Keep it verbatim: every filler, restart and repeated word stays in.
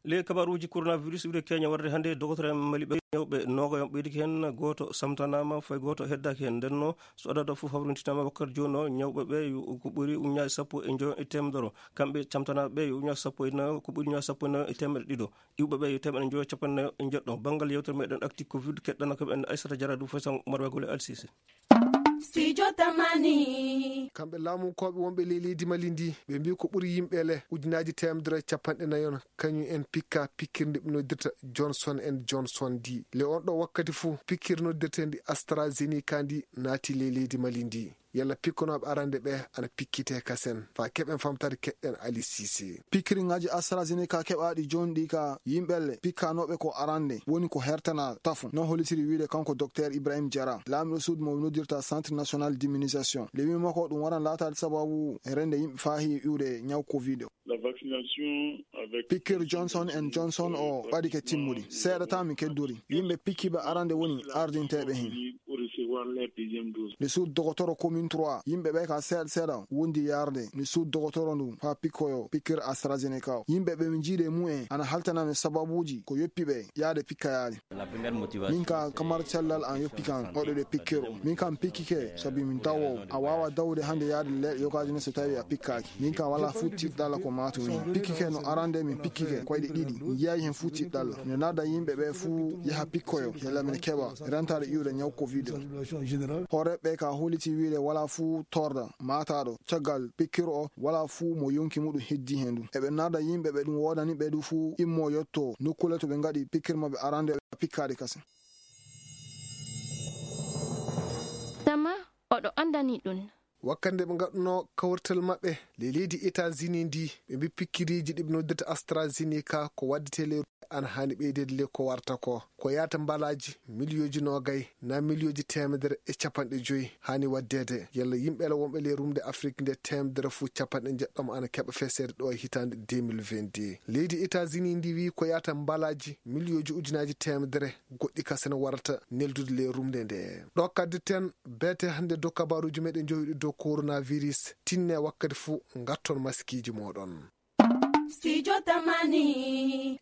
Ley kabaruuji coronavirus, iwde Kenya warde hannde, dogotoro en mali ɓe ñawɓe noogayo ɓeydike heen, gooto samtanaama, fay gooto heddaaki heen. Nden no, so adada fof hawrintinaama wakkati jooni o, ñawɓe ɓe yo ko ɓuri uñaaji sappo e njoyo e teemedere. Kamɓe camtanaaɓe ɓe yo uñaaji sappo e nayo, ko ɓuri uñaaji sappo e nayo e teemedde ɗiɗo. Iwɓe ɓe yo teemedde njoyo e capanɗe nayo e njeɗɗo. Banngal yewtere meɗen Actu Covid, keɗɗana ko ɓen Aissata Diarra, ɗum fof tan Oumar Wagole Alsise. Studio Tamani. Kamɓe laamunkooɓe wonɓe ley leydi Mali ndi, ɓe mbii ko ɓuri yimɓe le ujunaaji teemedere e capanɗe nayon, kañum en pikka pikkirde ɓe noddirta Johnson and Johnson ndi. Le on ɗo wakkati fuu, pikkiri noddirteendi AstraZeneca ndi naati ley leydi Mali ndi. Yalla pikkonooɓe arande ɓe ana pikkitee kasen? Faa keɓen famtaade, keɗɗen Ali Cissé. Pikkiriŋaaji AstraZeneca keɓaaɗi jooni ɗi ka yimɓe le pikkanooɓe ko arande woni ko hertana tafu, no hollitiri wiide kanko Docteur Ibrahim Diarra, laamiɗo suudu mo noddirta Centre National d'Immunisation. Le wii makko ɗum waran laataade sababu e rende yimɓe faa heewi iwde ñaw Covid o. La vaccination avec Pikkir Johnson and Johnson o ɓadike timmude. Seeɗa tan mi keddori. Yimɓe pikkiiɓe arande woni ardinteeɓe heen. Pour recevoir leur deuxième dose. Nde suudu dogotoro commune trois, yimɓe ɓe ka seeɗa seeɗa wondi yarde nde suudu dogotoro ndu faa pikkoyo pikkir AstraZeneca o. Yimɓe ɓe mi jiiɗe mumen ana haltanami sababuuji ko yoppi ɓe yaade pikkayaade. Min ka kamar cellal an yoppi kan waɗude pikkir o. Min kam pikkike sabi min dawowo. A waawa dawude hannde yaade leeɗe yogaaji ne so tawi a pikkaaki. Min kam wala fuu tiiɗalla ko maatu min. Pikkike no arande min pikkike koyɗe ɗiɗi. Mi yiyayi hen fuu tiiɗalla. Miɗo nadda yimɓe ɓe fuu yaha pikkoyo. Yalla mine keɓa rentaade iwde ñaw Covid o. Hooreeɓe ka holliti wiide wala fuu torda maataaɗo caggal pikkir o, wala fuu mo yonki muɗum heddi hen ɗum. Eɓe nadda yimɓe ɓe ɗum woodani ɓe ɗum fuu immo yotto nokkule to ɓe ngaɗi pikkir maɓɓe arande ɓe pikkaade kasen. Tama oɗo anndani ɗum. Wakkati nde ɓe ngaɗunoo kawrital maɓɓe ley leydi États-Unis ndi, ɓe mbi pikkiriiji ɗi ɓe noddirta AstraZeneca ko waddetee ley ana haani ɓeydeede ley ko warta ko. Ko yaata mbalaaji miliyooji noogay naa miliyooji teemedere e capanɗe joyi haani waɗdeede. Yalla yimɓe la wonɓe ley rumde Afrik nde teemedere fuu capanɗe njeɗɗo ana keɓa feseede ɗo e hitaande deux mille vingt-deux. Leydi États-Unis ndi wii ko yaata mbalaaji miliyooji ujunaaji teemedere goɗɗi kasen warata neldude ley rumde nde. Ɗo kadditen beete hannde dow kabaruuji meɗen njowiɗi dow coronavirus. Tinne wakkati fuu ngatton maskiiji mooɗon. Studio Tamani.